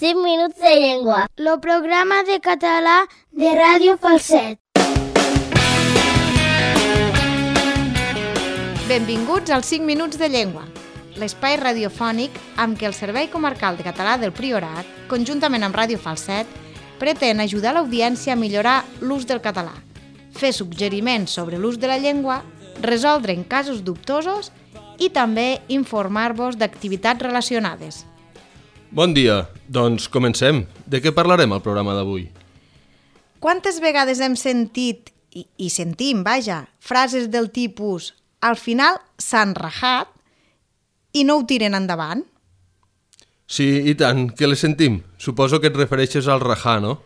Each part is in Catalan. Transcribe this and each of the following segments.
5 minuts de llengua. El programa de català de Ràdio Falset. Benvinguts als 5 minuts de llengua, l'espai radiofònic amb què el Servei Comarcal de Català del Priorat, conjuntament amb Ràdio Falset, pretén ajudar l'audiència a millorar l'ús del català, fer suggeriments sobre l'ús de la llengua, resoldre en casos dubtosos i també informar-vos d'activitats relacionades. Bon dia, doncs comencem. De què parlarem al programa d'avui? Quantes vegades hem sentit, i sentim, frases del tipus «al final s'han rajat» i no ho tiren endavant? Sí, i tant, que les sentim. Suposo que et refereixes al rajar, no?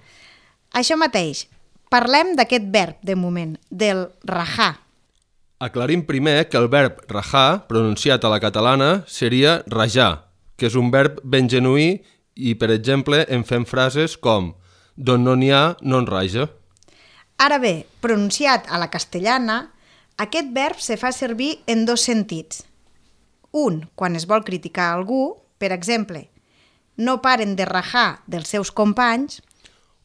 Això mateix. Parlem d'aquest verb, de moment, del rajar. Aclarim primer que el verb rajar, pronunciat a la catalana, seria rajar, que és un verb ben genuí i, per exemple, en fem frases com «d'on no n'hi ha, no en raja». Ara bé, pronunciat a la castellana, aquest verb se fa servir en dos sentits. Un, quan es vol criticar algú, per exemple, no paren de rajar dels seus companys,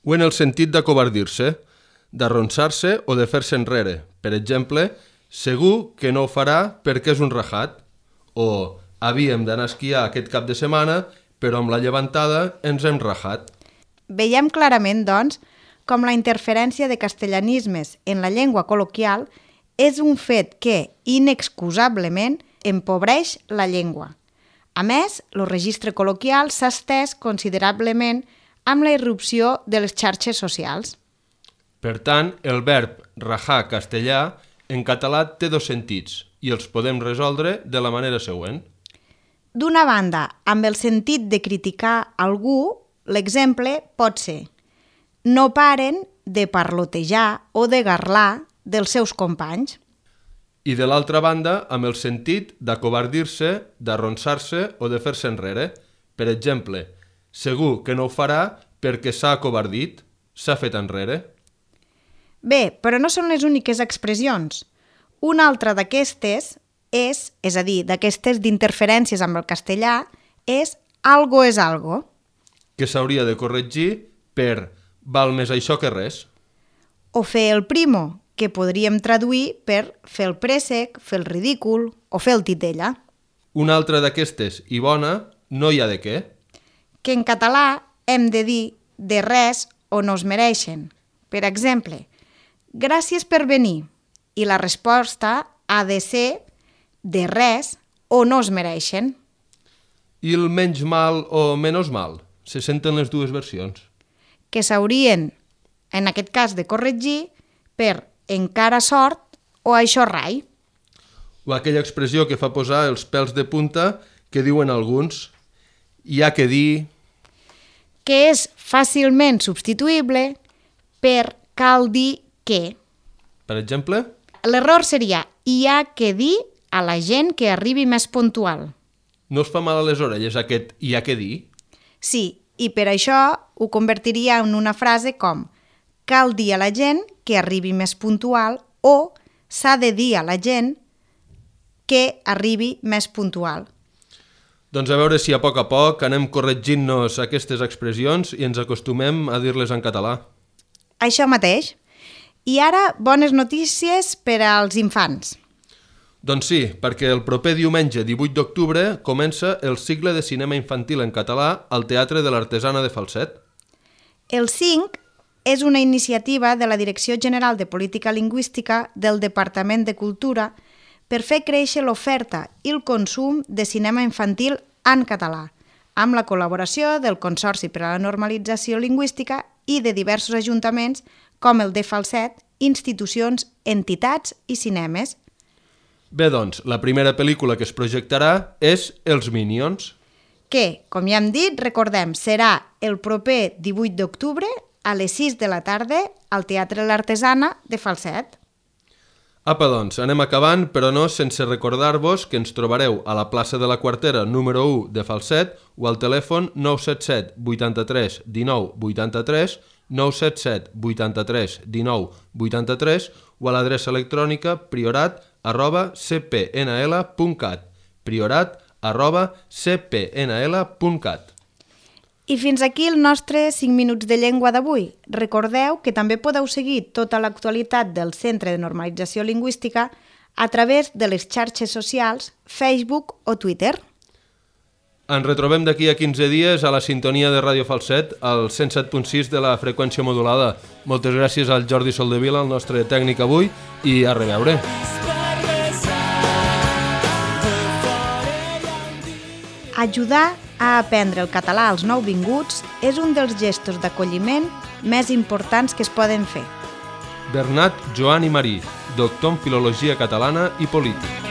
o en el sentit d'acovardir-se, d'arronsar-se o de fer-se enrere. Per exemple, segur que no ho farà perquè és un rajat, o havíem d'anar a esquiar aquest cap de setmana, però amb la llevantada ens hem rajat. Veiem clarament, doncs, com la interferència de castellanismes en la llengua col·loquial és un fet que, inexcusablement, empobreix la llengua. A més, el registre col·loquial s'ha estès considerablement amb la irrupció de les xarxes socials. Per tant, el verb rajar castellà en català té dos sentits i els podem resoldre de la manera següent. D'una banda, amb el sentit de criticar algú, l'exemple pot ser no paren de parlotejar o de garlar dels seus companys. I de l'altra banda, amb el sentit d'acovardir-se, d'arronsar-se o de fer-se enrere. Per exemple, segur que no ho farà perquè s'ha acovardit, s'ha fet enrere. Bé, però no són les úniques expressions. Una altra d'aquestes és a dir, d'aquestes d'interferències amb el castellà, és algo és algo. Que s'hauria de corregir per val més això que res. O fer el primo, que podríem traduir per fer el préssec, fer el ridícul o fer el titella. Una altra d'aquestes, i bona, no hi ha de què. Que en català hem de dir de res o no es mereixen. Per exemple, gràcies per venir, i la resposta ha de ser de res o no es mereixen. I el menys mal o menys mal? Se senten les dues versions. Que s'haurien, en aquest cas, de corregir per encara sort o això rai. O aquella expressió que fa posar els pèls de punta que diuen alguns. Hi ha que dir... Que és fàcilment substituïble per cal dir que. Per exemple? L'error seria hi ha que dir a la gent que arribi més puntual. No us fa mal a les orelles aquest hi ha que dir? Sí, i per això ho convertiria en una frase com cal dir a la gent que arribi més puntual o s'ha de dir a la gent que arribi més puntual. Doncs a veure si a poc anem corregint-nos aquestes expressions i ens acostumem a dir-les en català. Això mateix. I ara, bones notícies per als infants. Doncs sí, perquè el proper diumenge 18 d'octubre comença el cicle de cinema infantil en català al Teatre de l'Artesana de Falset. El 5 és una iniciativa de la Direcció General de Política Lingüística del Departament de Cultura per fer créixer l'oferta i el consum de cinema infantil en català, amb la col·laboració del Consorci per a la Normalització Lingüística i de diversos ajuntaments com el de Falset, institucions, entitats i cinemes. Bé, doncs, la primera pel·lícula que es projectarà és Els Minions. Que, com ja hem dit, recordem, serà el proper 18 d'octubre a les 6 de la tarda al Teatre l'Artesana de Falset. Apa, doncs, anem acabant, però no sense recordar-vos que ens trobareu a la plaça de la Quartera número 1 de Falset o al telèfon 977 83 19 83, 977 83 19 83 o a l'adreça electrònica priorat@cpnl.cat, priorat@cpnl.cat. I fins aquí el nostre 5 minuts de llengua d'avui. Recordeu que també podeu seguir tota l'actualitat del Centre de Normalització Lingüística a través de les xarxes socials, Facebook o Twitter. Ens retrobem d'aquí a 15 dies a la sintonia de Ràdio Falset, al 107.6 de la freqüència modulada. Moltes gràcies al Jordi Soldevila, el nostre tècnic avui, i a reveure. Ajudar a aprendre el català als nouvinguts és un dels gestos d'acolliment més importants que es poden fer. Bernat Joan i Marí, doctor en Filologia Catalana i Polític.